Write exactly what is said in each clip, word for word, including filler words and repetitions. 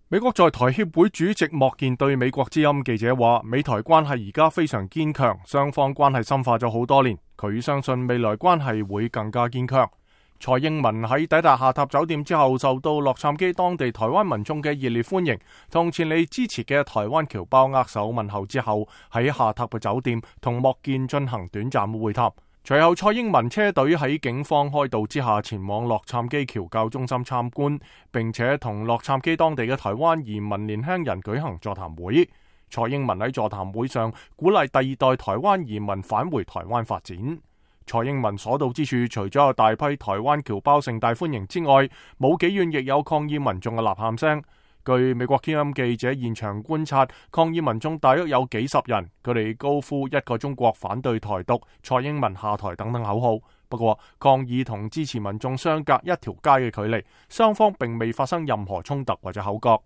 美國在台協會主席莫健對美國之音記者話，美台關係而家非常堅強，雙方關係深化咗好多年，佢相信未來關係會更加堅強。蔡英文喺抵達下榻酒店之後，受到洛杉磯當地台灣民眾嘅熱烈歡迎，同前嚟支持嘅台灣僑胞握手問候之後，喺下榻嘅酒店同莫健進行短暫會談。隨後，蔡英文車隊喺警方開導之下前往洛杉磯僑教中心參觀，並且同洛杉磯當地嘅台灣移民年輕人舉行座談會。蔡英文喺座談會上鼓勵第二代台灣移民返回台灣發展。蔡英文所到之處，除咗有大批台灣僑胞盛大歡迎之外，冇幾遠亦有抗議民眾嘅吶喊聲。據美國之音記者現場觀察，抗議民眾大約有幾十人，佢哋高呼一個中國、反對台獨、蔡英文下台等等口號。不過，抗議同支持民眾相隔一條街嘅距離，雙方並未發生任何衝突或者口角。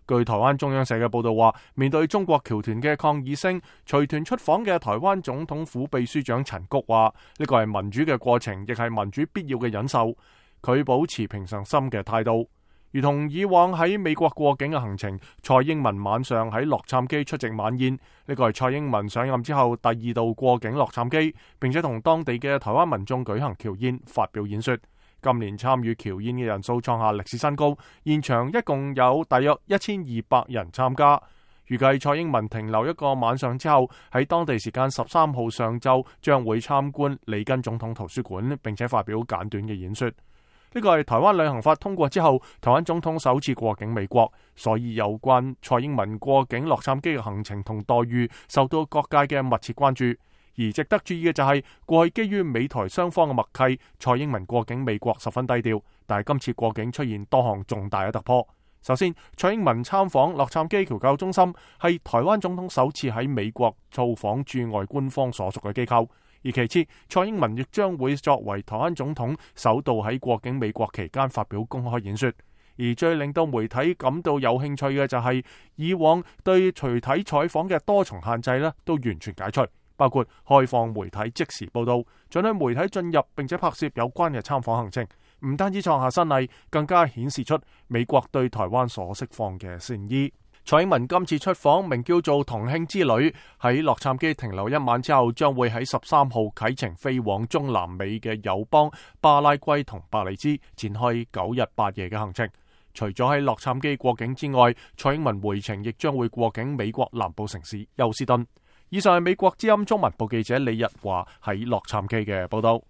據台灣中央社嘅報道話，面對中國僑團嘅抗議聲，隨團出訪嘅台灣總統府秘書長陳菊話：呢個係民主嘅過程，亦係民主必要嘅忍受。佢保持平常心嘅態度。如同以往喺美國過境嘅行程，蔡英文晚上喺洛杉磯出席晚宴，呢個係蔡英文上任之後第二度過境洛杉磯，並且同當地嘅台灣民眾舉行僑宴，發表演說。今年參與僑宴嘅人數創下歷史新高，現場一共有大約一千二百人參加。預計蔡英文停留一個晚上之後，喺當地時間十三號上晝將會參觀里根總統圖書館，並且發表簡短嘅演說。呢個係台灣旅行法通過之後，台灣總統首次過境美國，所以有關蔡英文過境洛杉磯嘅行程同待遇受到各界嘅密切關注。而值得注意嘅就係，過去基於美台雙方嘅默契，蔡英文過境美國十分低調，但係今次過境出現多項重大嘅突破。首先，蔡英文參訪洛杉磯僑教中心係台灣總統首次喺美國造訪駐外官方所屬嘅機構。而其次，蔡英文亦將會作為台灣總統首度喺過境美國期間發表公開演說。而最令到媒體感到有興趣嘅就係，以往對隨體採訪嘅多重限制呢都完全解除，包括開放媒體即時報道，准許媒體進入並且拍攝有關嘅參訪行程。唔單止創下新例，更加顯示出美國對台灣所釋放嘅善意。蔡英文今次出訪名叫做同慶之旅，喺洛杉磯停留一晚之後，將會喺十三號啟程飛往中南美嘅友邦巴拉圭同伯利茲，展開九日八夜嘅行程。除咗喺洛杉磯過境之外，蔡英文回程亦將會過境美國南部城市休斯敦。以上係美國之音中文部記者李日華喺洛杉磯嘅報道。